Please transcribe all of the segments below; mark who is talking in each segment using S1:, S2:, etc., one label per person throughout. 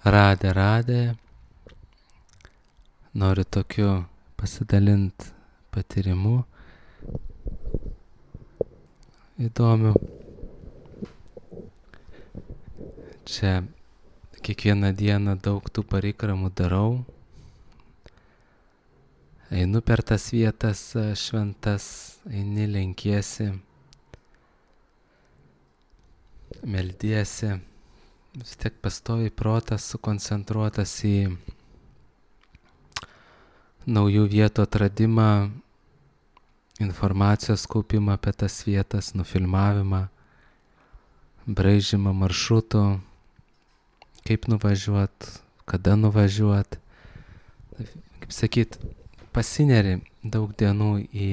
S1: Radė. Noriu tokiu pasidalinti patyrimu įdomiu. Čia kiekvieną dieną daug tų parikramų darau. Einu per tas vietas šventas, eini, lenkiesi, meldiesi. Vis tiek pastoviai protas sukoncentruotas į naujų vietų atradimą, informacijos kaupimą apie tas vietas, nufilmavimą, braižymą maršrutų, kaip nuvažiuot, kada nuvažiuot. Kaip sakyt, pasineri daug dienų į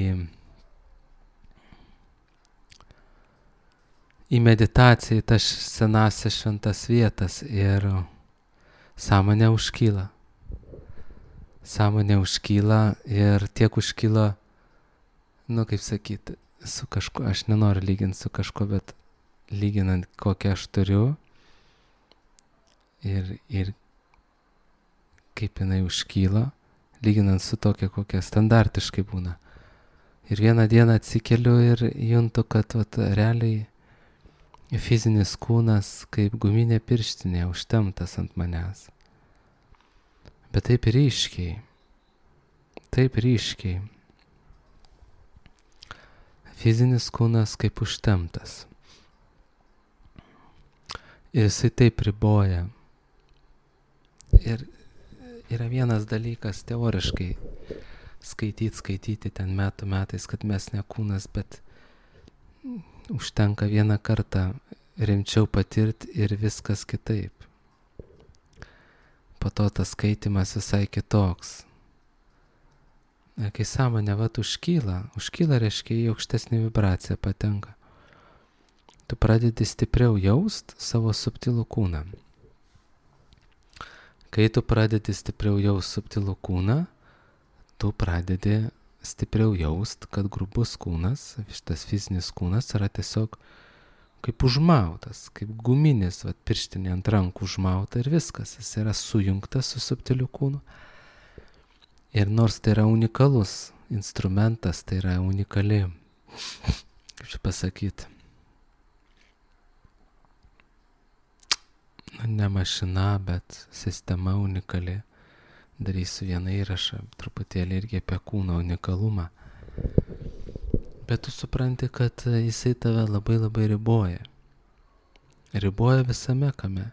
S1: meditaciją, į tas senasias šventas vietas ir sąmonė užkyla. Sąmonė užkyla ir tiek užkyla, kaip sakyt, su kažkuo, aš nenoriu lyginti su kažkuo, bet lyginant kokią aš turiu ir kaip jinai užkyla, lyginant su tokia, kokia standartiškai būna. Ir vieną dieną atsikeliu ir juntu, kad realiai fizinis kūnas kaip guminė pirštinė užtemptas ant manęs. Bet taip ryškiai. Fizinis kūnas kaip užtemptas. Ir jisai taip riboja. Ir yra vienas dalykas teoriškai skaityti ten metais, kad mes ne kūnas, bet užtenka vieną kartą rimčiau patirti ir viskas kitaip. Po to tas skaitimas visai kitoks. Ir kai sąmonė užkyla reiškia į aukštesnį vibraciją patenka. Tu pradedi stipriau jaust savo subtilų kūną. Kai tu pradedi stipriau jaust subtilų kūną, tu pradedi stipriau jaust, kad grubus kūnas, šitas fizinis kūnas yra tiesiog kaip užmautas, kaip guminis, pirštinė ant rankų užmauta ir viskas. Jis yra sujungtas su subtiliu kūnu. Ir nors tai yra unikalus instrumentas, tai yra unikali, kaip čia pasakyti, ne mašina, bet sistema unikali. Darysiu vieną įrašą, truputėlį irgi apie kūno unikalumą. Bet tu supranti, kad jisai tave labai labai riboja. Riboja visame kame.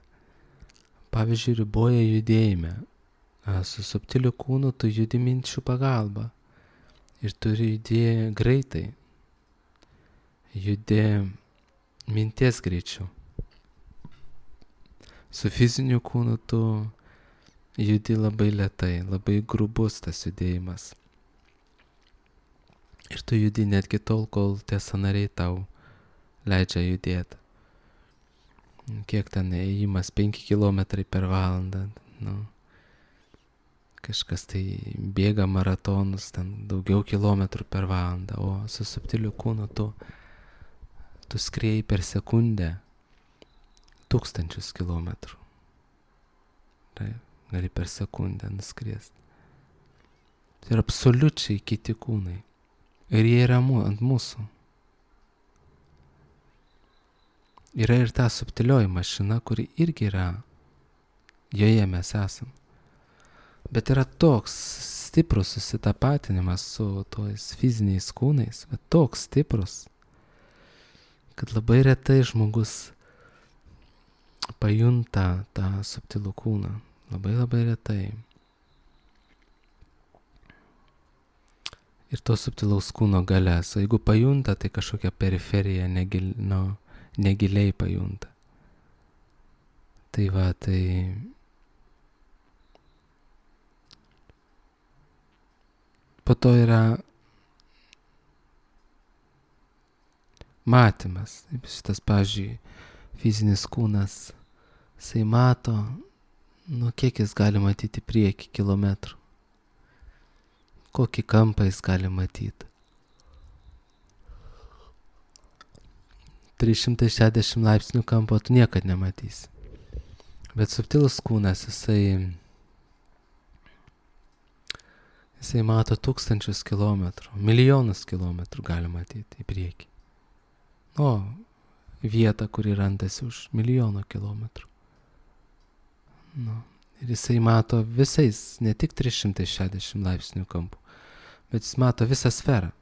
S1: Pavyzdžiui, riboja judėjime. Su subtiliu kūnu tu judi minčių pagalba. Ir turi judėti greitai. Judi minties greičiu. Su fiziniu kūnu tu judi labai lėtai, labai grubus tas judėjimas. Ir tu judi netgi tol, kol tie sąnariai tau leidžia judėti. Kiek ten ėjimas, 5 km per valandą. Kažkas tai bėga maratonus, ten daugiau kilometrų per valandą, o su subtiliu kūnu tu skrieji per sekundę 1000 kilometrų. Tai gali per sekundę nuskriesti. Tai yra absoliučiai kiti kūnai. Ir jie yra ant mūsų. Yra ir ta subtilioji mašina, kuri irgi yra. Joje mes esam. Bet yra toks stiprus susitapatinimas su tojais fiziniais kūnais, bet toks stiprus, kad labai retai žmogus pajunta tą subtilų kūną. Labai labai retai. Ir to subtilaus kūno galias. O jeigu pajunta, tai kažkokia periferija negiliai pajunta. Tai po to yra matymas. Šitas, pavyzdžiui, fizinis kūnas, jisai mato, kiek jis gali matyti priekį kilometrų. Kokį kampą jis gali matyti. 360 laipsnių kampo tu niekad nematysi. Bet subtilus kūnas, jisai mato tūkstančius kilometrų, milijonus kilometrų gali matyti į priekį. O vietą, kuri randasi už milijono kilometrų. Ir jisai mato visais, ne tik 360 laipsnių kampų, bet jis mato visą sferą.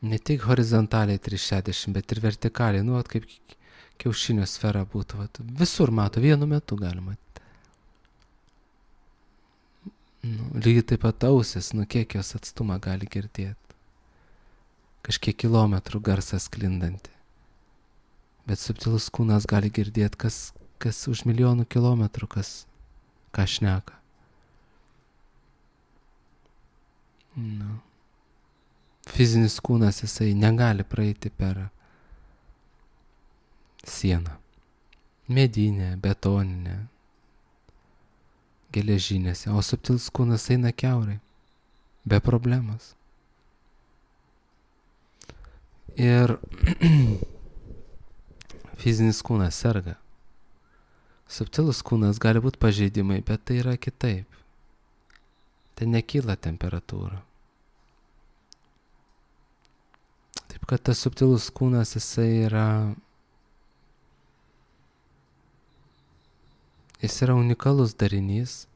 S1: Ne tik horizontaliai 360, bet ir vertikaliai, kaip kiaušinio sfera būtų. Visur mato, vienu metu galima. Lygiai taip pat ausis, kiek jos atstumą gali girdėti. Kažkiek kilometrų garsą sklindantį. Bet subtilus kūnas gali girdėti, kas už milijonų kilometrų, ką šneka. Fizinis kūnas, jisai negali praeiti per sieną. Medinė, betoninė, geležinėse, o subtilus kūnas eina kiaurai, be problemos. Ir fizinis kūnas serga. Subtilus kūnas gali būti pažeidimai, bet tai yra kitaip. Tai nekyla temperatūra. Taip kad tas subtilus kūnas, jisai yra unikalus darinys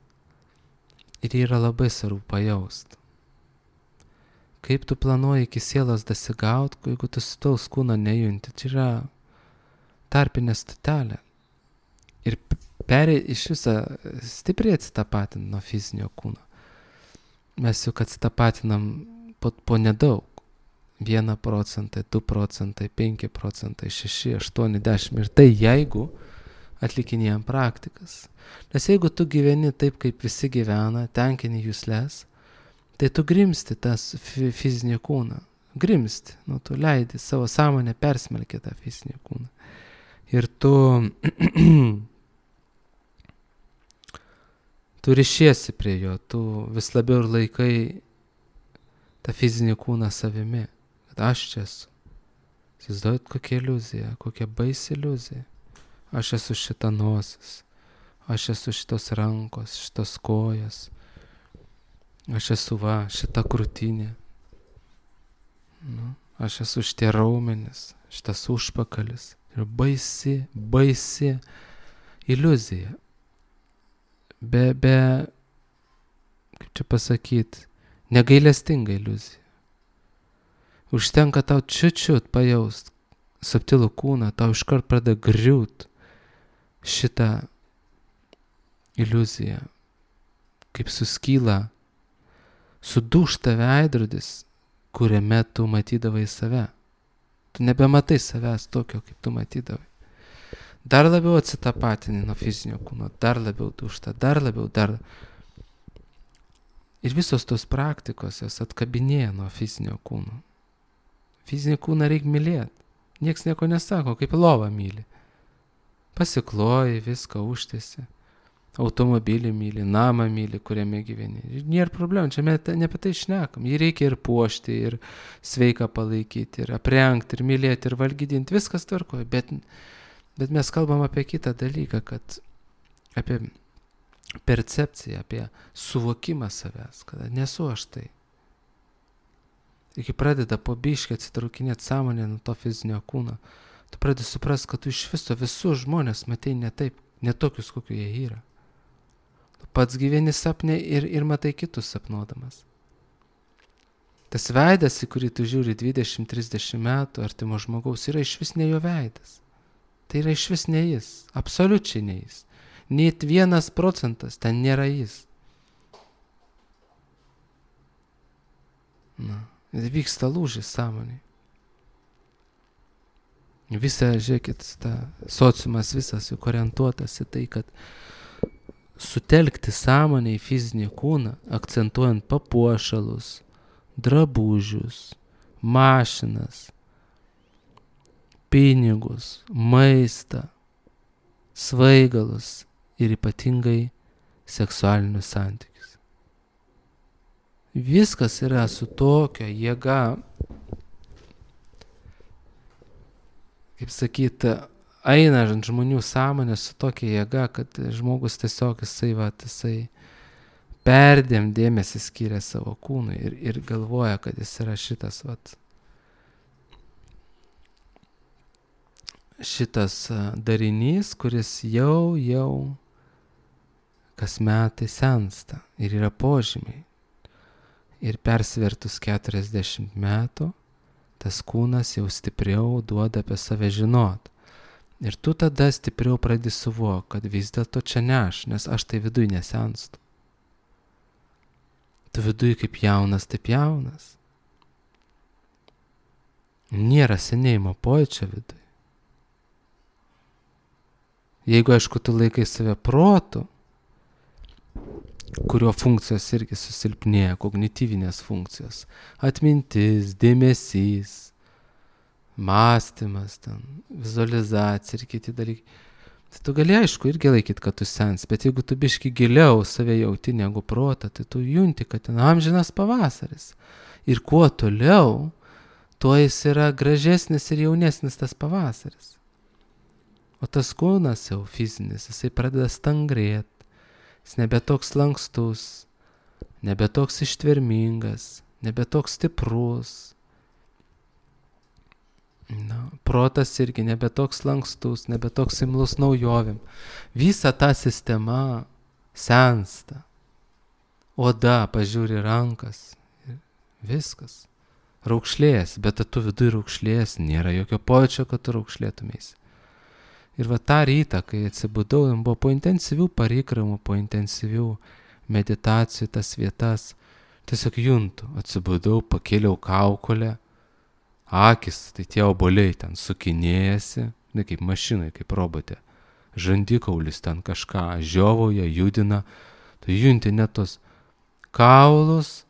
S1: ir yra labai svarbu pajaust. Kaip tu planuoji iki sielos dasigaut, jeigu tu subtilaus kūno nejunti, tai yra tarpinė stotelė. Ir iš visą stipriai atsitapatinti nuo fizinio kūno. Mes juk atsitapatinam po nedaug. 1%, 2%, 5%, 6, 8, 10. Ir tai jeigu atlikinėjam praktikas. Nes jeigu tu gyveni taip, kaip visi gyvena, tenkini jusles, tai tu grimsti tas fizinį kūną. Grimsti. Tu leidi savo sąmonę persmelkti tą fizinį kūną. Ir tu ryšiesi prie jo, tu vis labiau ir laikai tą fizinį kūną savimi. Kad aš čia esu. Įsivaizduojat, kokia iliuzija, kokia baisi iliuzija. Aš esu šita nosis, aš esu šitos rankos, šitos kojas, aš esu šita krūtinė, aš esu šitie raumenis, šitas užpakalis. Ir baisi iliuzija. Be, kaip čia pasakyti, negailestinga iliuzija. Užtenka tau čiut pajaust subtilų kūną, tau iškart pradeda griūt šitą iliuziją, kaip suskyla, sudūžta veidrodis, kuriame tu matydavai save. Tu nebematai savęs tokio, kaip tu matydavai. Dar labiau atsitapatini nuo fizinio kūno, dar labiau dūžta, dar labiau. Ir visos tos praktikos jos atkabinėja nuo fizinio kūno. Fizinį kūną reikia mylėti. Niekas nieko nesako, kaip lovą myli. Pasikloji, viską užtiesi. Automobilį myli, namą myli, kuriame gyveni. Ir nėra problemų, čia ne apie tai šnekam. Jį reikia ir puošti, ir sveiką palaikyti, ir aprengti, ir mylėti, ir valgydinti. Viskas tvarkoja. Bet mes kalbam apie kitą dalyką, apie percepciją, apie suvokimą savęs, kad nesu aš tai. Ir kai pradeda po biškį atsitraukinėti sąmonę nuo to fizinio kūno, tu pradedi suprast, kad tu iš viso visus žmonės matei ne taip, ne tokius, kokiu jie yra. Tu pats gyveni sapne ir matai kitus sapnuodamas. Tas veidas, į kurį tu žiūri 20-30 metų artimo žmogaus, yra iš vis ne jo veidas. Tai yra iš vis ne jis, absoliučiai ne jis. Net 1% ten nėra jis. Vyksta lūžis sąmonėje. Žiūrėkit, sociumas visas juk orientuotas į tai, kad sutelkti sąmonę į fizinį kūną, akcentuojant papuošalus, drabužius, mašinas, pinigus, maistą, svaigalus ir ypatingai seksualinius santykius. Viskas yra su tokia jėga, kaip sakyti, eina ant žmonių sąmonės su tokia jėga, kad žmogus tiesiog jisai perdėm dėmesį skiria savo kūnui ir galvoja, kad jis yra šitas darinys, kuris jau kas metai sensta ir yra požymiai. Ir persvertus 40 metų, tas kūnas jau stipriau duoda apie save žinot. Ir tu tada stipriau pradedi suvokti, kad vis dėlto čia ne aš, nes aš tai viduj nesenstu. Tu viduj kaip jaunas, taip jaunas. Nėra senėjimo pojūčio viduj. Jeigu, aišku, tu laikai save protu, kurio funkcijos irgi susilpnėja, kognityvinės funkcijos, atmintis, dėmesys, mąstymas, vizualizacija ir kiti dalykai. Tai tu gali, aišku, irgi laikyti, kad tu sens, bet jeigu tu biški giliau save jauti negu protą, tai tu junti, kad ten amžinas pavasaris. Ir kuo toliau, tuo jis yra gražesnis ir jaunesnis tas pavasaris. O tas kūnas jau fizinis, jisai pradeda stangrėti. Jis nebe toks lankstus, nebe toks ištvermingas, nebe toks stiprus. Protas irgi nebe toks lankstus, nebe toks imlus naujovėm. Visa ta sistema sensta. Oda, pažiūri rankas. Viskas. Raukšlės, bet tu viduj raukšlės, nėra jokio pojūčio, kad tu raukšlėtumės. Ir va tą rytą, kai atsibudau, buvo po intensyvių parikramų, po intensyvių meditacijų tas vietas, tiesiog juntu, atsibudau, pakėliau kaukolę, akis, tai tie obuoliai ten sukinėjasi, ne kaip mašinai, kaip robotė, žandikaulis ten kažką žiovauja, judina, tai junti net tos kaulus,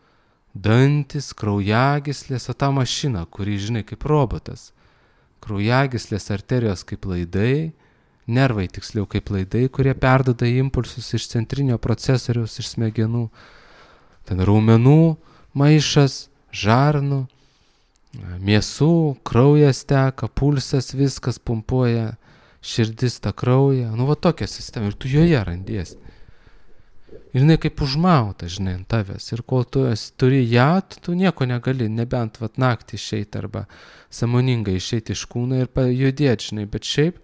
S1: dantis, kraujagyslės, o tą mašiną, kuri, žinai, kaip robotas. Kraujagyslės, arterijos kaip laidai, nervai tiksliau kaip laidai, kurie perduoda impulsus iš centrinio procesoriaus, iš smegenų. Ten raumenų maišas, žarnų, mėsų, kraujas teka, pulsas, viskas pumpuoja, širdis tą kraują. Va tokia sistema ir tu joje randiesi. Ir jinai kaip užmauta, žinai, ant tavęs. Ir kol tu turi ją, tu nieko negali, nebent naktį išeiti arba sąmoningai išeiti iš kūno ir pajudėti, žinai. Bet šiaip,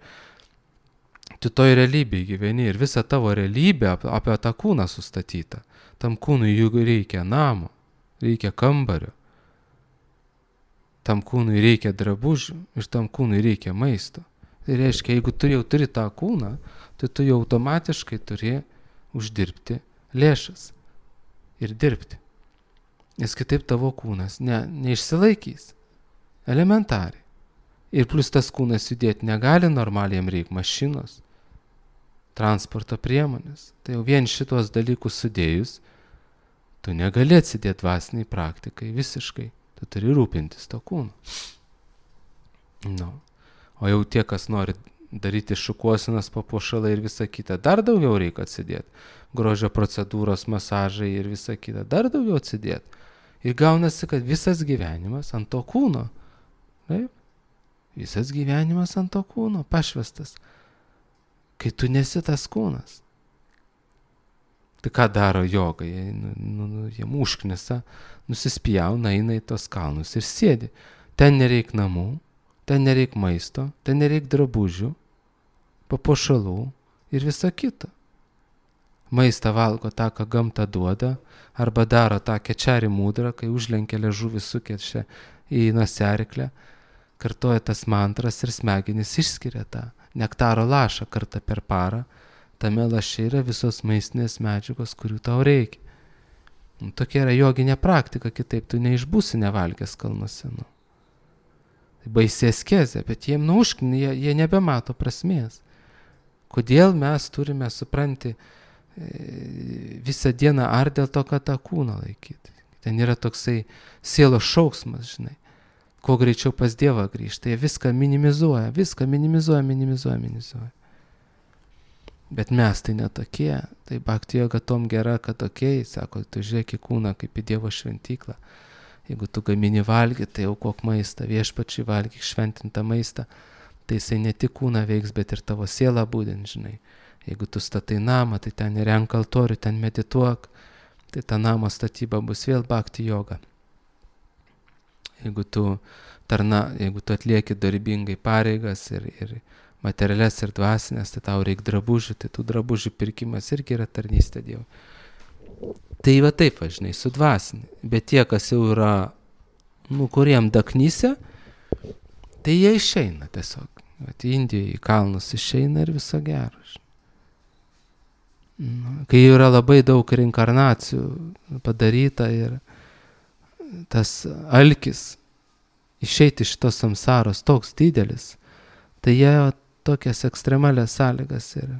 S1: tu toj realybėje gyveni ir visa tavo realybė apie tą kūną sustatyta. Tam kūnui juk reikia namo, reikia kambario. Tam kūnui reikia drabužių ir tam kūnui reikia maisto. Tai reiškia, jeigu tu jau turi tą kūną, tai tu jau automatiškai turi uždirbti lėšas ir dirbti. Nes kitaip tavo kūnas neišsilaikys. Elementariai. Ir plus tas kūnas judėti negali, normaliai jam reikia mašinos, transporto priemonės. Tai jau vien šitos dalykus sudėjus, tu negali atsidėti dvasiniai praktikai visiškai. Tu turi rūpintis to kūnu. O jau tie, kas nori daryti šukuosinas, papuošalai ir visa kita, dar daugiau reikia atsidėti. Grožio procedūros, masažai ir visa kita, dar daugiau atsidėti. Ir gaunasi, kad visas gyvenimas ant to kūno. Taip? Visas gyvenimas ant to kūno, pašvestas. Kai tu nesi tas kūnas. Tai ką daro joga? Jie užknisa, nusispjauna, eina į tos kalnus ir sėdi. Ten nereik namų, ten nereik maisto, ten nereik drabužių, papuošalų ir visa kita. Maistą valgo tą, ką gamta duoda, arba daro tą kečerį mūdrą, kai užlenkia liežuvį sukečia į noseriklę, kartoja tas mantras ir smegenys išskiria tą nektaro lašą kartą per parą. Tame laše yra visos maistinės medžiagos, kurių tau reikia. Tokia yra joginė praktika, kitaip tu neišbūsi nevalgęs kalnuose. Tai baisi askezė, bet jiem jie nebemato prasmės. Kodėl mes turime, supranti, visą dieną ar dėl to, kad tą kūną laikyti. Ten yra toksai sielos šauksmas, žinai. Kuo greičiau pas Dievą grįžta, jie viską minimizuoja. Bet mes tai netokie. Tai bhakti joga tom gera, kad tokiai, sako, tu žiūrėk į kūną kaip į Dievo šventyklą. Jeigu tu gamini valgyti, tai aukok maistą, viešpačiui valgyk šventintą maistą. tai jisai ne tik kūną veiks, bet ir tavo sielą būdint, žinai. Jeigu tu statai namą, tai ten renk altorių, ten medituok, tai ta namo statyba bus vėl bhakti joga. Jeigu tu atlieki darbingai pareigas ir materialias ir dvasinės, tai tau reikia drabužių, tai tų drabužių pirkimas irgi yra tarnystė Dievui. Tai va taip, žinai, su dvasinė. Bet tie, kas jau yra, kuriem daknyse, tai jie išeina tiesiog. Vat Indijoje į kalnus išeina ir viso gero. Kai yra labai daug reinkarnacijų padaryta ir tas alkis išeiti iš tos samsaros toks didelis, tai jie tokias ekstremalias sąlygas ir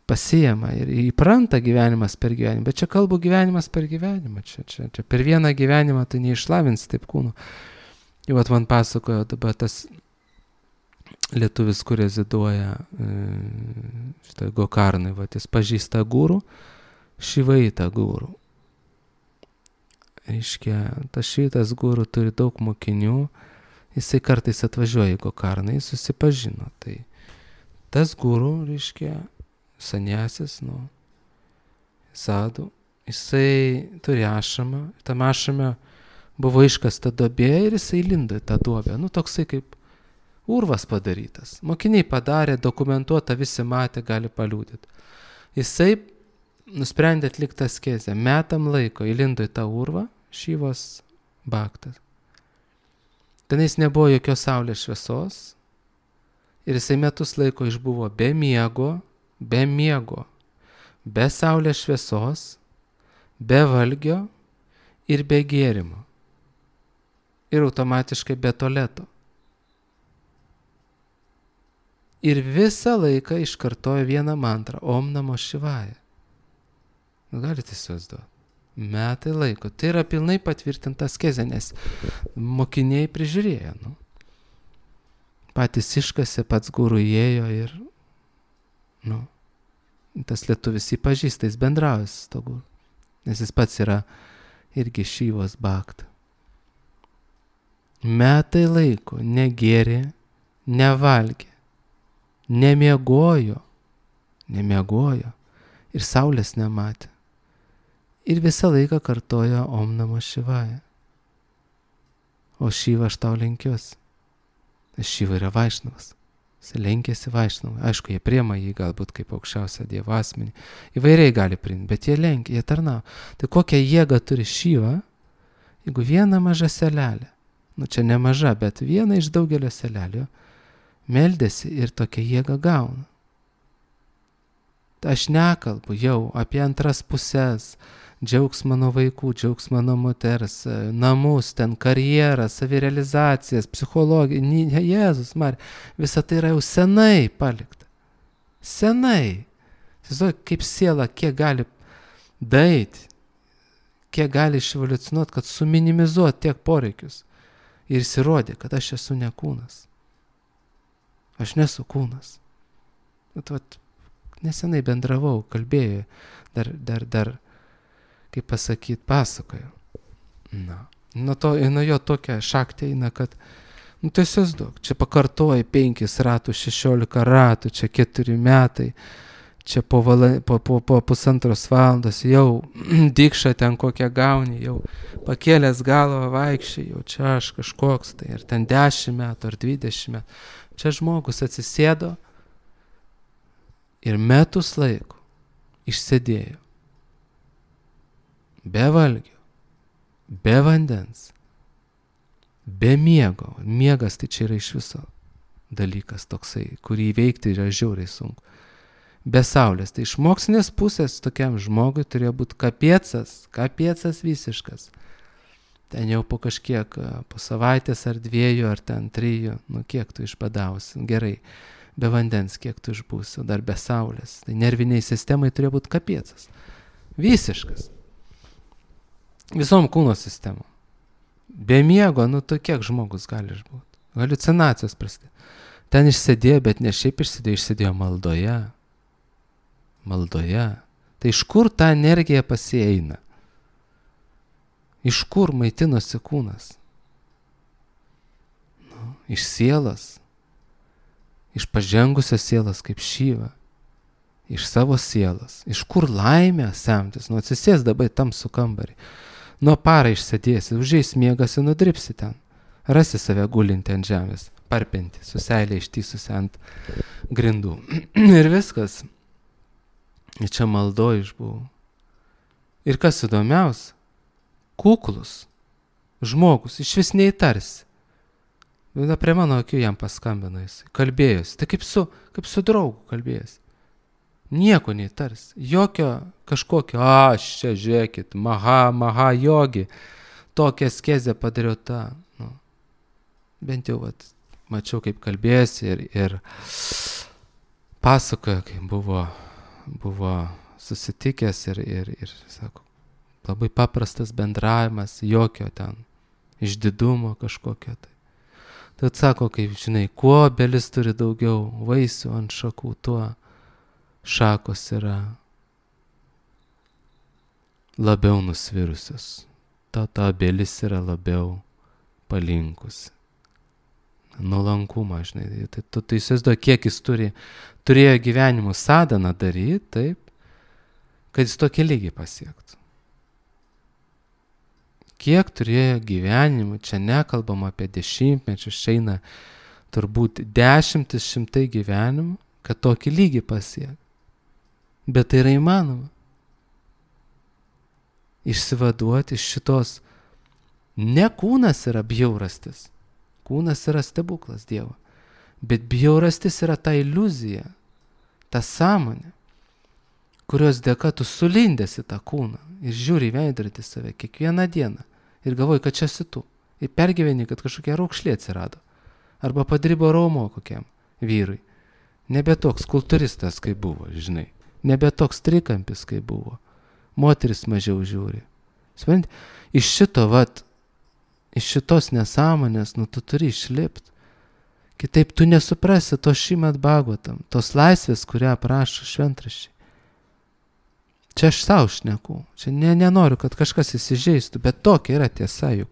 S1: pasiema ir įpranta gyvenimas per gyvenimą. Bet čia kalbu gyvenimas per gyvenimą. Čia per vieną gyvenimą tai neišlavinsi taip kūno. Jau man pasakojo dabar tas lietuvis, kur reziduoja šitą Gokarnai, jis pažįsta gurų, Šivaitą gurų. Reiškia, tas šitas gurų turi daug mokinių, jisai kartais atvažiuoja į Gokarną, jis susipažino. Tai tas gurų, reiškia, sanjasis, sadų, jisai turi ašamą, tam ašame buvo iškasta duobė ir jisai lindo į tą duobę. Toksai kaip urvas padarytas. Mokiniai padarė, dokumentuota, visi matė, gali paliudyti. Jisai nusprendė atlikti askezę. Metam laiko įlindo į tą urvą, Šivos bhaktas. Tenais nebuvo jokios saulės šviesos ir jisai metus laiko išbuvo be miego, be saulės šviesos, be valgio ir be gėrimo. Ir automatiškai be tualeto. Ir visą laiką iškartojo vieną mantrą, Om Namo Šivaya. Galite įsivaizduoti. Metai laiko. Tai yra pilnai patvirtinta askezė, nes mokiniai prižiūrėjo. Patys iškasė, pats guru įėjo ir tas lietuvis jį pažįsta, jis bendrauja su to guru. Nes jis pats yra irgi Šivos bhakta. Metai laiko negėrė, nevalgė, nemiegojo ir saulės nematė. Ir visą laiką kartojo Om Namo Šivaya. O Šiva aš tau lenkiuosi. Šiva yra Vaišnavas. Jis lenkėsi Vaišnavai. Aišku, jie priema jį galbūt kaip aukščiausią Dievo asmenį. Įvairiai gali priimti, bet jie lenkia, jie tarnauja. Tai kokią jėgą turi Šiva, jeigu viena maža selelė, čia ne maža, bet viena iš daugelio selelio, meldėsi ir tokią jėgą gauna. Aš nekalbu jau apie antras pusės, džiaugs mano vaikų, džiaugs mano moters, namus, ten karjerą, savirealizacijas, psichologiją, Jėzus, Marija, visa tai yra jau senai palikta. Senai. Tiesiog kaip siela, kiek gali daeiti, kiek gali iševoliucionuoti, kad suminimizuoti tiek poreikius. Ir įsirodė, kad aš esu ne kūnas. Aš nesu kūnas. Nesenai bendravau, kalbėjau, dar kaip pasakyti, pasakoju. Nuo jo tokia šaktė eina, kad, tiesiog daug. Čia pakartoji 5 ratų, 16 ratų, čia 4 metai, čia po pusantros valandos jau dikšą ten kokią gauni, jau pakėlęs galvą vaikščiai, jau čia aš kažkoks, tai ir ten 10 metų ar 20 metų. Čia žmogus atsisėdo ir metus laiko išsėdėjo. Be valgio, be vandens, be miego. Miegas tai čia yra iš viso dalykas toksai, kurį įveikti yra žiauriai sunku. Be saulės. Tai iš mokslinės pusės tokiam žmogui turėjo būti kapiecas visiškas. Ten jau po kažkiek, po savaitės ar 2 ar ten 3, kiek tu išbadausi, gerai, be vandens kiek tu išbūsi, dar be saulės. Tai nerviniai sistemai turėjo būti kapiecas. Visiškas. Visom kūno sistemom. Be miego, tu kiek žmogus gali išbūti? Haliucinacijos prasidėjo. Ten išsėdėjo, bet ne šiaip išsėdėjo maldoje. Tai iš kur ta energija pasieina? Iš kur maitinosi kūnas? Iš sielos. iš pažengusios sielos kaip Šyva, iš savo sielos. Iš kur laimė semtis? Nu, atsisės dabar tamsų kambarį. Nuo parą išsėdėsi, užeis miegas ir nudripsi ten. Rasi save gulinti ant žemės, parpinti, su seilė ištįsusi ant grindų. Ir viskas. Ir čia maldo išbuvau. Ir kas įdomiausia, kuklus žmogus, iš vis neįtarsi. Prie mano akių jam paskambino jis, kalbėjosi, tai kaip su draugu kalbėjosi. Nieko neįtarsi, jokio kažkokio, aš čia žiūrėkit, maha jogi, tokią askezę padariau tą. Nu, bent jau mačiau, kaip kalbėjosi ir pasakojo, kaip buvo susitikęs ir sako, labai paprastas bendravimas, jokio ten išdidumo kažkokio tai. Tad sako, kaip žinai, kuo obelis turi daugiau vaisių ant šakų, tuo šakos yra labiau nusvirusios. Ta obelis yra labiau palinkusi. Nuolankumą, žinai. Tai įsivaizduoji, kiek jis turėjo gyvenimo sadaną daryti, taip, kad jis tokį lygį pasiektų. Kiek turėjo gyvenimų, čia nekalbam apie dešimtmečius, eina turbūt 10-100 gyvenimų, kad tokį lygį pasiektų. Bet tai yra įmanoma. Išsivaduoti iš šitos, ne kūnas yra bjaurastis, kūnas yra stebuklas Dievo, bet bjaurastis yra ta iliuzija, ta sąmonė, kurios dėka tu sulindęs į tą kūną ir žiūri į veidrodį save kiekvieną dieną ir galvoji, kad čia esi tu. Ir pergyveni, kad kažkokia raukšlė atsirado. Arba padribo raumo kokiam vyrui. Nebe toks kultūristas, kaip buvo, žinai. Nebe toks trikampis, kaip buvo. Moteris mažiau žiūri. Supranti, iš šitos nesąmonės, tu turi išlipti. Kitaip tu nesuprasi to Šrimad Bhagavatam, tos laisvės, kurią aprašo šventraščiai. Čia aš savo šneku, čia nenoriu, kad kažkas įsižeistų, bet tokia yra tiesa juk.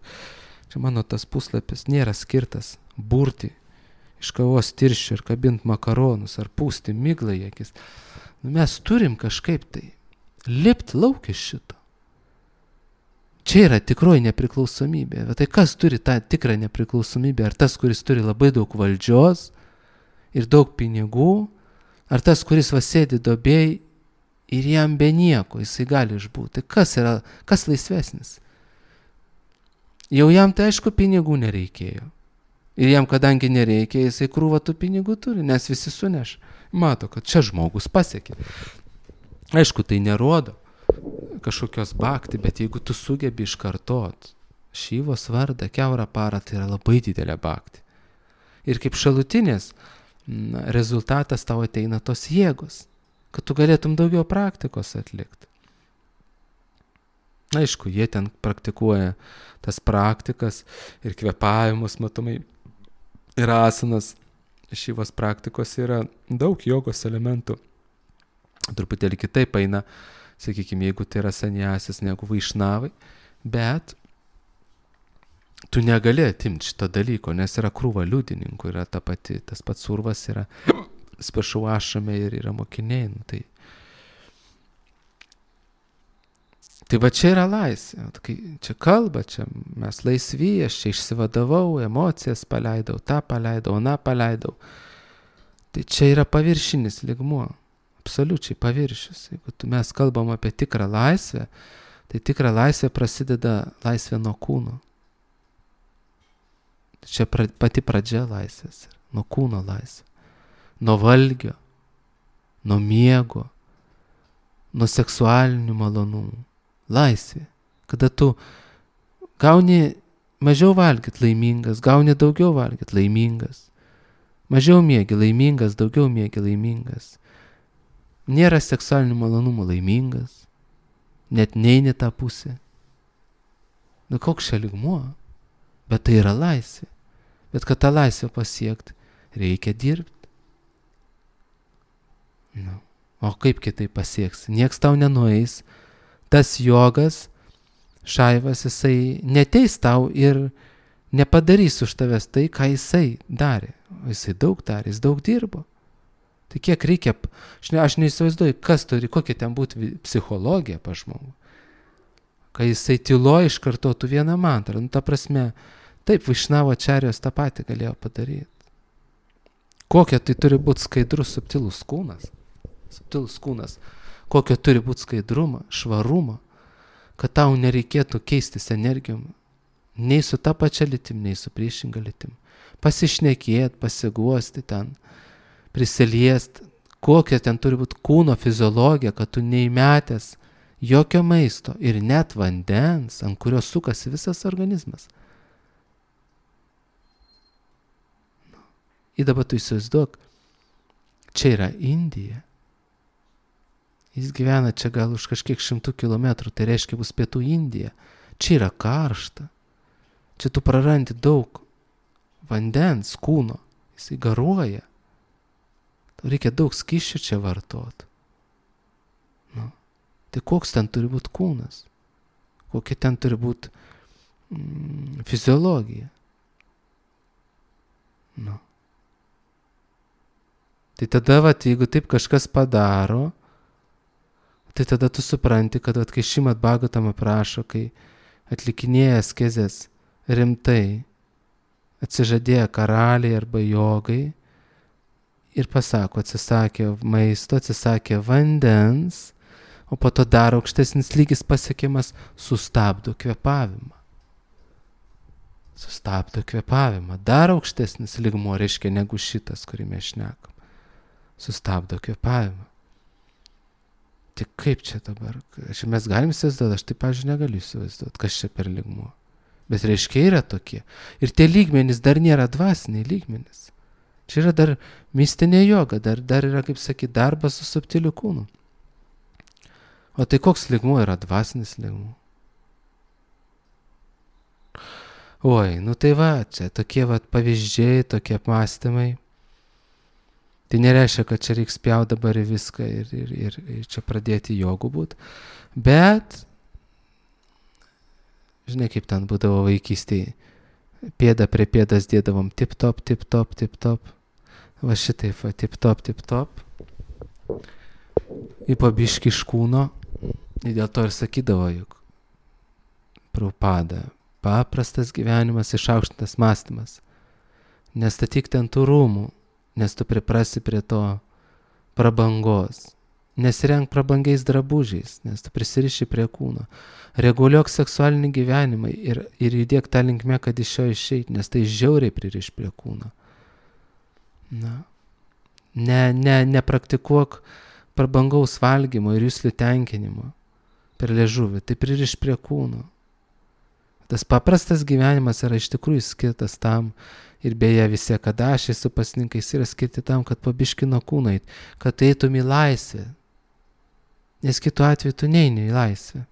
S1: Čia mano tas puslapis nėra skirtas burti iš kavos tirščių ir kabinti makaronus ar pūsti miglą į akis. Mes turim kažkaip tai lipti lauk iš šito. Čia yra tikroji nepriklausomybė. Bet tai kas turi tą tikrą nepriklausomybę? Ar tas, kuris turi labai daug valdžios ir daug pinigų? Ar tas, kuris sėdi duobėj ir jam be nieko, jisai gali išbūti? Kas laisvesnis? Jau jam tai aišku pinigų nereikėjo. Ir jam kadangi nereikia, jisai krūvą tų pinigų turi, nes visi suneš. Mato, kad čia žmogus pasiekė. Aišku, tai nerodo kažkokios bhakti, bet jeigu tu sugebi iškartot Šyvos vardą kiaurą parą, tai yra labai didelė bhakti. Ir kaip šalutinės rezultatas tau ateina tos jėgos, kad tu galėtum daugiau praktikos atlikti. Aišku, jie ten praktikuoja tas praktikas ir kvėpavimus, matomai, ir asanas. Šyvos praktikos yra daug jogos elementų. Truputėlį kitaip eina, sakykime, jeigu tai yra sanjasis negu vaišnavai, bet tu negali atimti šito dalyko, nes yra krūva liudininkų, yra tas pats Urvas yra spašau ašame ir yra mokiniai. Tai va čia yra laisvė. Čia kalba, čia mes laisvi, aš čia išsivadavau, emocijas paleidau, tą paleidau, aną paleidau. Tai čia yra paviršinis lygmuo, absoliučiai paviršius. Jeigu mes kalbam apie tikrą laisvę, tai tikra laisvė prasideda laisvė nuo kūno. Čia pati pradžia laisvės, nuo kūno laisvė. Nuo valgio, nuo miego, nuo seksualinių malonumų. Laisvė. Kada tu gauni mažiau valgyt laimingas, gauni daugiau valgyt laimingas. Mažiau miegi laimingas, daugiau miegi laimingas. Nėra seksualinių malonumų laimingas. Net neini tą pusę. Koks čia lygmuo? Bet tai yra laisvė. Bet kad tą laisvę pasiekti, reikia dirbti. O kaip kitaip pasieks? Nieks tau nenueis. Tas jogas, Šaivas, jisai neteis tau ir nepadarys už tavęs tai, ką jisai darė. O jisai daug darė, jis daug dirbo. Tai kiek reikia, aš neįsivaizduoju, kokia ten būtų psichologija pa žmogų. Kai jisai tyloje iškartotų vieną mantrą. Ta prasme, taip, Vaišnavo Ačarijos tą patį galėjo padaryti. Kokia tai turi būti skaidrus, subtilus kūnas. Subtilus kūnas. Kokio turi būti skaidrumo, švarumo, kad tau nereikėtų keistis energijom. Nei su ta pačia lytim, nei su priešinga lytim. Pasišnekėt, pasiguosti ten, prisiliest. Kokia ten turi būti kūno fiziologija, kad tu neįmetęs jokio maisto ir net vandens, ant kurio sukasi visas organizmas. Ir dabar tu įsivaizduok, čia yra Indija. Jis gyvena čia gal už kažkiek 100 kilometrų, tai reiškia bus pietų Indija. Čia yra karšta. Čia tu prarandi daug vandens, kūno. Jisai garuoja. Tau reikia daug skysčių čia vartot. Nu. Tai koks ten turi būti kūnas? Kokia ten turi būti fiziologija? Nu. Tai tada, jeigu taip kažkas padaro, tai tada tu supranti, kad kai Šrimad Bhagavatam aprašo, kai atlikinėja askezes rimtai, atsižadėję karaliai arba jogai ir pasako, atsisakė maisto, atsisakė vandens, o po to dar aukštesnis lygis pasiekiamas, sustabdo kvėpavimą. Sustabdo kvėpavimą. Dar aukštesnis lygmuo reiškia negu šitas, kurį mes šnekam. Sustabdo kvėpavimą. Tai kaip čia dabar? Mes galim įsivaizduoti, aš taip, pavyzdžiui, negaliu įsivaizduoti, kas čia per lygmuo. Bet reiškia yra tokie. Ir tie lygmenys dar nėra dvasiniai lygmenys. Čia yra dar mistinė joga, dar yra, kaip sakyti, darbas su subtiliu kūnu. O tai koks lygmuo yra dvasinis lygmuo? Oi, nu tai va, čia tokie pavyzdžiai, tokie apmąstymai. Tai nereiškia, kad čia reiks pjauti dabar į viską ir čia pradėti jogų būt. Bet, žinai, kaip ten būdavo vaikystėje, pėdą prie pėdas dėdavom tip-top, tip-top, tip-top. Va šitaip, tip-top, tip-top. Į pabiškį iš kūno. Ir dėl to ir sakydavo, juk Prabhupada, paprastas gyvenimas, išaukštintas mąstymas. Nestatyk ten tų rūmų, nes tu priprasi prie to prabangos. Nesirenk prabangiais drabužiais, nes tu prisiriši prie kūno. Reguliuok seksualinį gyvenimą ir judėk tą linkmę, kad iš jo išeit, nes tai žiauriai pririš prie kūno. Na. Nepraktikuok prabangaus valgymo ir juslių tenkinimo per liežuvį, tai pririš prie kūno. Tas paprastas gyvenimas yra iš tikrųjų skirtas tam, ir beje visi akadašiai su pasninkais yra skirti tam, kad pabiški nuo kūno eit, kad eitum į laisvę. Nes kitu atveju tu neini į laisvę.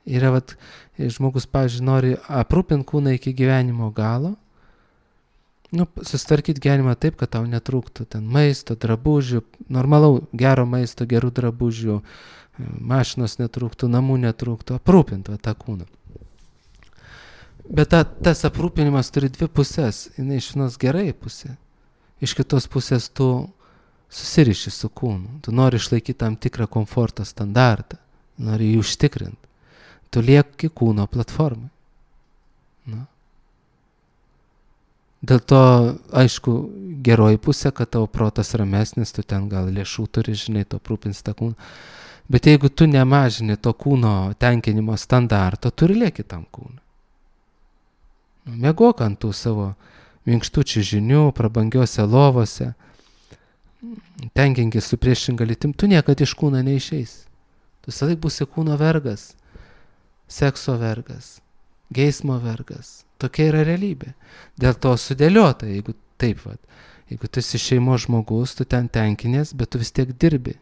S1: Yra, žmogus, pavyzdžiui, nori aprūpinti kūną iki gyvenimo galo, susitvarkyti gyvenimą taip, kad tau netrūktų ten maisto, drabužių, normalau, gero maisto, gerų drabužių, mašinos netrūktų, namų netrūktų, aprūpinti tą kūną. Bet tas aprūpinimas turi dvi pusės. Jinai iš vienos gerai pusė. Iš kitos pusės tu susiriši su kūnu. Tu nori išlaikyti tam tikrą komforto standartą. Nori jį užtikrinti. Tu lieki kūno platformai. Na. Dėl to, aišku, geroji pusė, kad tavo protas ramesnis, tu ten gal lėšų turi, žinai, tu aprūpins tą kūną. Bet jeigu tu nemažini to kūno tenkinimo standarto, tu ir lieki tam kūną. Mėgok ant tų savo minkštučių žinių, prabangiuose lovose, tenkinkis su priešinga lytim, tu niekad iš kūno neišeis. Tu visąlaik būsi kūno vergas, sekso vergas, geismo vergas. Tokia yra realybė. Dėl to sudėliota, jeigu taip, jeigu tu esi šeimos žmogus, tu ten tenkinės, bet tu vis tiek dirbi.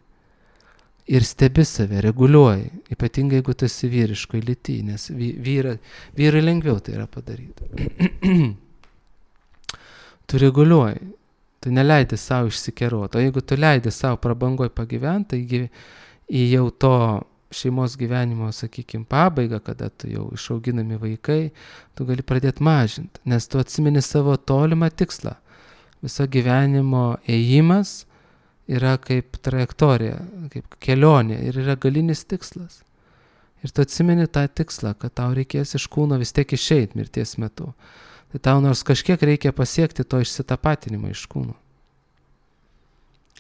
S1: Ir stebi save, reguliuoji, ypatingai jeigu tu esi vyriškoj lyty, nes vyrai lengviau tai yra padaryti. Tu reguliuoji, tu neleidi savo išsikeroti, o jeigu tu leidi savo prabangoj pagyventi, taigi į jau to šeimos gyvenimo, sakykime, pabaigą, kada tu jau išauginami vaikai, tu gali pradėti mažinti, nes tu atsimeni savo tolimą tikslą. Viso gyvenimo ėjimas yra kaip trajektorija, kaip kelionė ir yra galinis tikslas. Ir tu atsimeni tą tikslą, kad tau reikės iš kūno vis tiek išeit mirties metu. Tai tau nors kažkiek reikia pasiekti to išsitapatinimo iš kūno.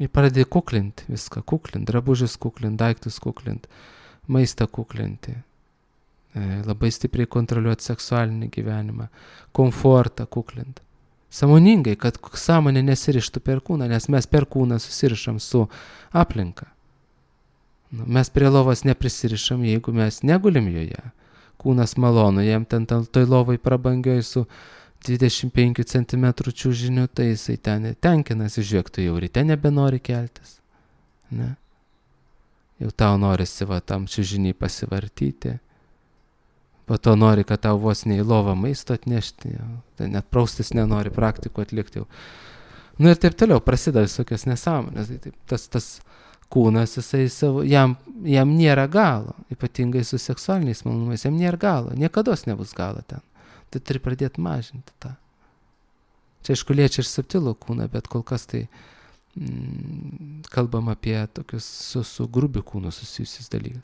S1: Ir pradedi kuklinti viską, drabužius kuklinti, daiktus kuklinti, maistą kuklinti, labai stipriai kontroliuoti seksualinį gyvenimą, komfortą kuklinti. Sąmoningai, kad sąmonė nesirištų per kūną, nes mes per kūną susirišam su aplinka. Mes prie lovos neprisirišam, jeigu mes negulim joje. Kūnas malonu, jam ten toj lovai prabangioj su 25 cm čiužiniu, tai jisai ten tenkinasi, žiūrėk, tu jau ryte nebenori keltis. Ne? Jau tau norisi tam čiužiniai pasivartyti. Po to nori, kad tau vos ne į lovą maisto atnešti. Jau. Tai net praustis nenori, praktikų atlikti jau. Ir taip toliau, prasideda visokios nesąmonės. Tas kūnas, jisai savo, jam nėra galo, ypatingai su seksualiniais malonumais, jam nėra galo, niekados nebus galo ten. Tai turi pradėti mažinti tą. Čia aišku liečia ir subtilų kūną, bet kol kas tai kalbam apie tokius su grubiu kūnu susijusius dalykus.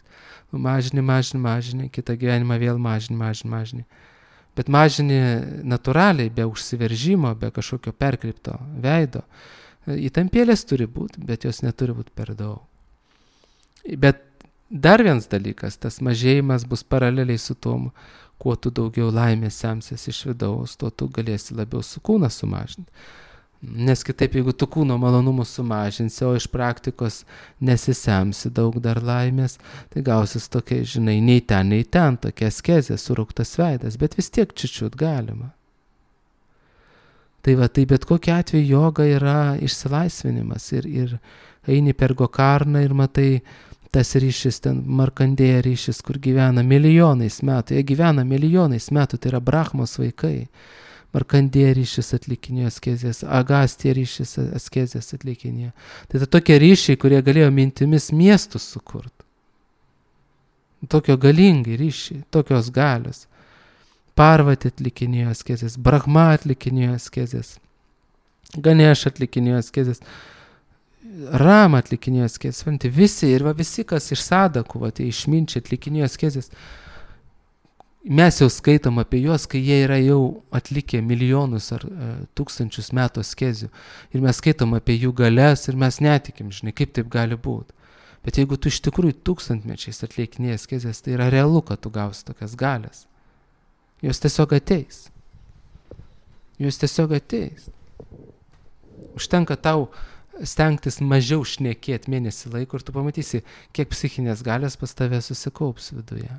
S1: Mažini, kitą gyvenimą vėl mažini. Bet mažini natūraliai, be užsiveržimo, be kažkokio perkreipto veido. Įtampėlės turi būti, bet jos neturi būti per daug. Bet dar vienas dalykas, tas mažėjimas bus paraleliai su tom, kuo tu daugiau laimės semsies iš vidaus, tuo tu galėsi labiau su kūną sumažinti. Nes kitaip, jeigu tu kūno malonumus sumažinsi, o iš praktikos nesisemsi daug dar laimės, tai gausis tokia, žinai, nei ten, tokia askezė, surauktas veidas, bet vis tiek čiučiut galima. Tai bet kokiu atveju joga yra išsilaisvinimas ir eini per Gokarną ir matai tas ryšis, ten Markandėja ryšis, kur gyvena milijonais metų, jie gyvena milijonais metų, tai yra Brahmos vaikai. Markandėja ryšis atlikinėjo askezės, Agastija ryšis askezės atlikinėjo. Tai tokie ryšiai, kurie galėjo mintimis miestus sukurti. Tokio galingi ryšiai, tokios galios. Parvati atlikinėjo askezės, Brahma atlikinėjo askezės, Ganeš atlikinėjo askezės, Rama atlikinėjo askezės, visi, kas iš sadakų, išminčiai atlikinėjo askezės. Mes jau skaitom apie juos, kai jie yra jau atlikę milijonus ar tūkstančius metų askezių. Ir mes skaitom apie jų galias ir mes netikim, žinai, kaip taip gali būti. Bet jeigu tu iš tikrųjų tūkstantmečiais atlikinėjai askezės, tai yra realu, kad tu gausi tokias galias. Jos tiesiog ateis. Užtenka tau stengtis mažiau šnekėti mėnesį laiko ir tu pamatysi, kiek psichinės galios pas tave susikaups viduje.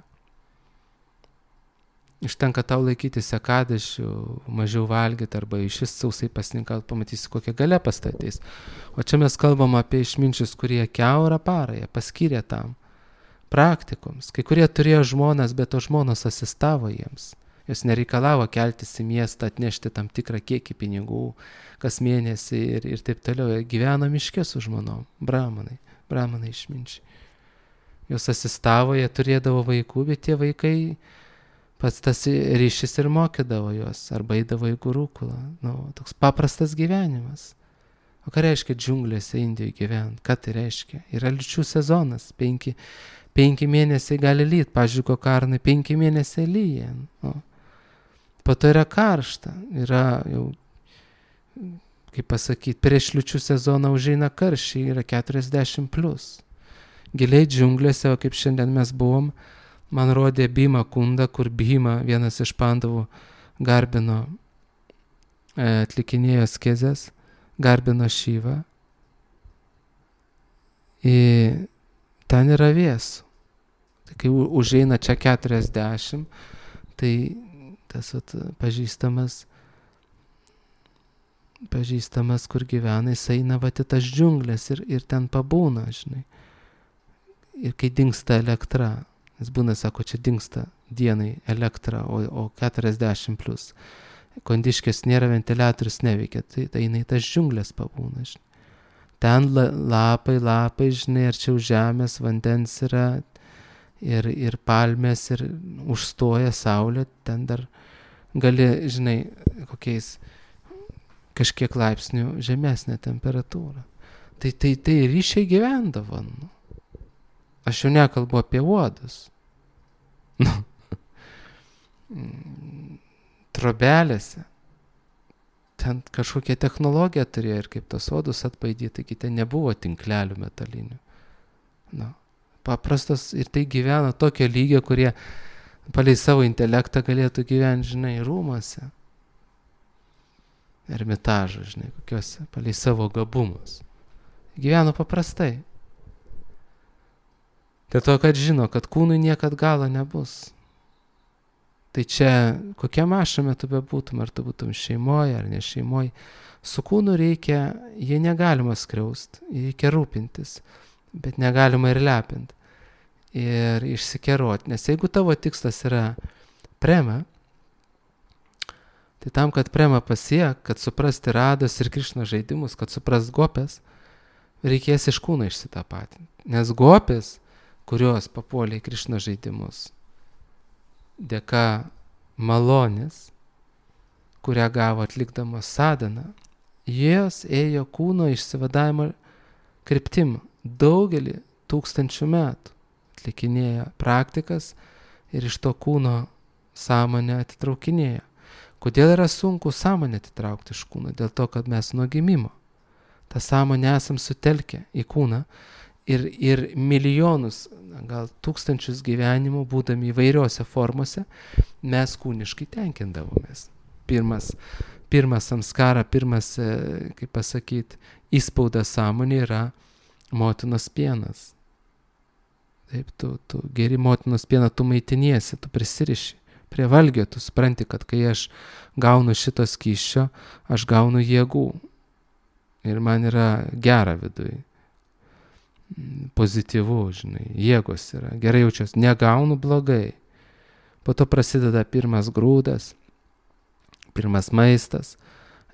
S1: Užtenka tau laikyti sekadašių, mažiau valgyti arba iš vis sausai pasninkauti, pamatysi, kokia galia pas tave ateis. O čia mes kalbam apie išminčius, kurie kiaurą parą jie paskyrė tam praktikoms. Kai kurie turėjo žmonas, bet to žmonos asistavo jiems. Jos nereikalavo keltis į miestą, atnešti tam tikrą kiekį pinigų kas mėnesį ir taip toliau. Gyveno miške su žmonom, brahmanai išminčiai. Jos asistavo, jie turėdavo vaikų, bet tie vaikai pats tas ryšys ir mokydavo juos, arba eidavo į gurukulą. Toks paprastas gyvenimas. O ką reiškia džiunglėse Indijoje gyventi? Ką tai reiškia? Yra liūčių sezonas, 5 mėnesiai gali lyt, pavyzdžiui, Gokarnai 5 mėnesiai lyja. Po to yra karšta, yra jau, kaip pasakyti, prieš liūčių sezoną užeina karščiai, yra 40+. Giliai džiunglėse, o kaip šiandien mes buvom, man rodė Bhima kundą, kur Bhima, vienas iš pandavų, garbino, atlikinėjo askezes, garbino Šyvą. Ir ten yra vėsų. Tai kai užeina čia 40, tai tas pažįstamas, kur gyvena, jis eina į tas džiunglės ir ten pabūna, žinai. Ir kai dingsta elektra, jis būna, sako, čia dingsta dienai elektra, o 40+. Kondiškės nėra, ventiliatorius neveikia, tai eina į tas džiunglės pabūna, žinai. Ten lapai, žinai, arčiau žemės, vandens yra, ir palmės, ir užstoja saulė, ten dar gali, žinai, kokiais kažkiek laipsnių žemesnė temperatūra. Tai ryšiai gyvendavo. Nu. Aš jau nekalbu apie uodus. Nu. Trobelėse. Ten kažkokia technologija turėjo ir kaip tos uodus atbaidyti, taigi ten nebuvo tinklelių metalinių. Nu. Paprastas ir tai gyvena tokio lygio, kurie palei savo intelektą galėtų gyventi, žinai, rūmuose. Ermitažą, žinai, kokiuose, palei savo gabumus. Gyveno paprastai. Dėl to, kad žino, kad kūnui niekad galo nebus. Tai čia, kokiam ašame tu bebūtum, ar tu būtum šeimoje ar ne šeimoje, su kūnu reikia, jie negalima skriaust, reikia rūpintis, bet negalima ir lepinti. Ir išsikeroti, nes jeigu tavo tikslas yra prema, tai tam, kad prema pasiek, kad suprasti Rados ir Krišnos žaidimus, kad suprast gopės, reikės iš kūno išsitapatinti. Nes gopės, kurios papuolė į Krišnos žaidimus, dėka malonės, kurią gavo atlikdamas sadhaną, jos ėjo kūno išsivadavimo kryptim daugelį tūkstančių metų. Atlikinėjo praktikas ir iš to kūno sąmonę atitraukinėjo. Kodėl yra sunku sąmonę atitraukti iš kūno? Dėl to, kad mes nuo gimimo tą sąmonę esam sutelkę į kūną ir milijonus, gal tūkstančius gyvenimų, būdami įvairiose formose, mes kūniškai tenkindavomės. Pirmas samskara, kaip pasakyti, įspaudas sąmonė yra motinos pienas. Taip, tu geri motinos pieną, tu maitiniesi, tu prisiriši prie valgio, tu supranti, kad kai aš gaunu šito skysčio, aš gaunu jėgų. Ir man yra gera viduje. Pozityvu, žinai, jėgos yra, gerai jaučiuosi, negaunu blogai. Po to prasideda pirmas grūdas, pirmas maistas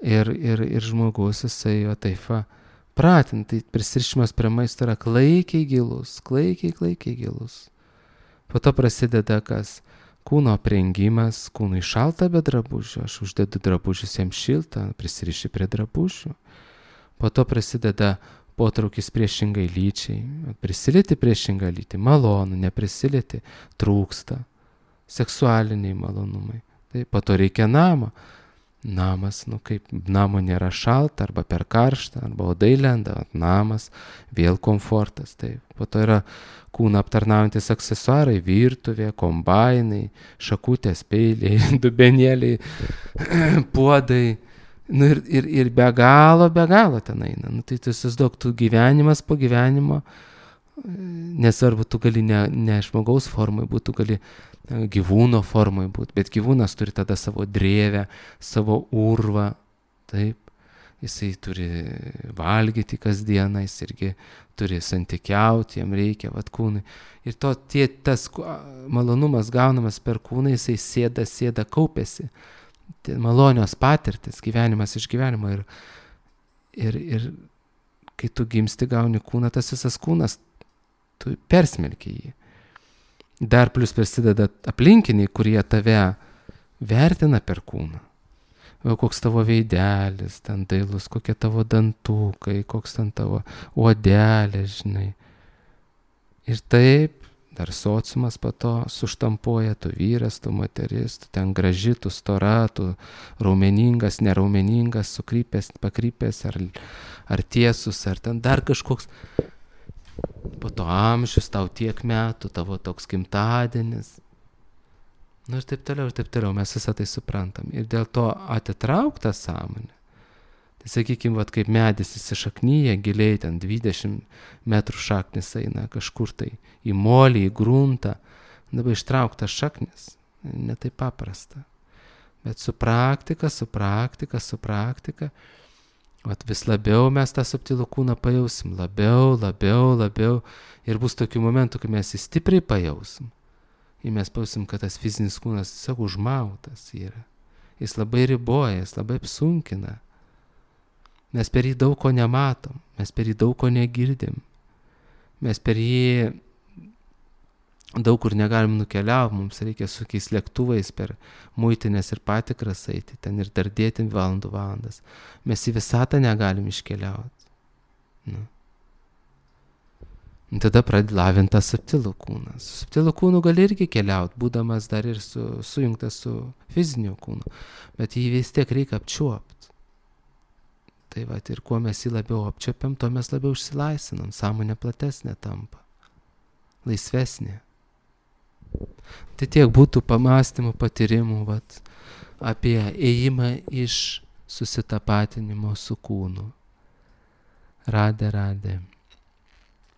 S1: ir žmogus, jisai jo taip pratintai, prisirišimas prie maisto yra klaikiai gilus. Po to prasideda kas? Kūno aprengimas, kūnui šalta be drabužių, aš uždedu drabužius jam šiltą, prisiriši prie drabužių. Po to prasideda potraukis priešingai lyčiai, prisilieti priešingą lytį, malonu, neprisilieti, trūksta, seksualiniai malonumai. Tai po to reikia namo. Namas, kaip namo nėra šalta, arba per karštą, arba odai lenda, namas, vėl komfortas. Taip. Po to yra kūną aptarnaujantis aksesuarai, virtuvė, kombainai, šakutės, peiliai, dubenėliai, puodai. Ir be galo ten eina. Tai tu įsivaizduok, tu gyvenimas po gyvenimo, nesvarbu, tu gali ne žmogaus formai būti, tu gali gyvūno formai būti, bet gyvūnas turi tada savo drėvę, savo urvą, taip, jisai turi valgyti kasdieną, jis irgi turi santykiauti, jam reikia kūnui. Ir tas malonumas gaunamas per kūną, jisai sėda, kaupiasi. Tai malonios patirtis, gyvenimas iš gyvenimo ir kai tu gimsti gauni kūną, tas visas kūnas, tu persmelki jį. Dar plus prasideda aplinkiniai, kurie tave vertina per kūną. Koks tavo veidelis, ten dailus, kokie tavo dantukai, koks ten tavo odelė, žinai. Ir taip, dar sociumas po to suštampuoja, tu vyras, tu moteris, tu ten graži, tu stora, tu raumeningas, neraumeningas, sukrypęs, pakrypęs, ar tiesus, ar ten dar kažkoks. Po to amžius, tau tiek metų, tavo toks gimtadienis. Ir taip toliau, mes visą tai suprantam. Ir dėl to atitraukta sąmonė. Tai sakykime, kaip medis įsišaknyja giliai, ten 20 metrų šaknis eina kažkur tai į molį, į gruntą. Dabar ištraukta šaknis, ne taip paprasta. Bet su praktika, vis labiau mes tą subtilų kūną pajausim, labiau. Ir bus tokių momentų, kai mes jį stipriai pajausim. Ir mes pajausim, kad tas fizinis kūnas tiesiog užmautas yra. Jis labai riboja, jis labai apsunkina. Mes per jį daug ko nematom, mes per jį daug ko negirdim. Mes per jį daug kur negalim nukeliauti, mums reikia su kokiais lėktuvais per muitinės ir patikras eiti, ten ir dardėti valandas. Mes į visatą negalim iškeliauti. Nu. Tada pradedi lavinti tą subtilų kūną. Su subtilų kūnu gali irgi keliauti, būdamas dar ir sujungtas su fiziniu kūnu, bet jį vis tiek reikia apčiuopti. Tai va, ir kuo mes jį labiau apčiuopiam, tuo mes labiau išsilaisvinam, sąmonė platesnė tampa, laisvesnė. Tai tiek būtų pamastymų, patyrimų vat, apie ėjimą iš susitapatinimo su kūnu. Radė.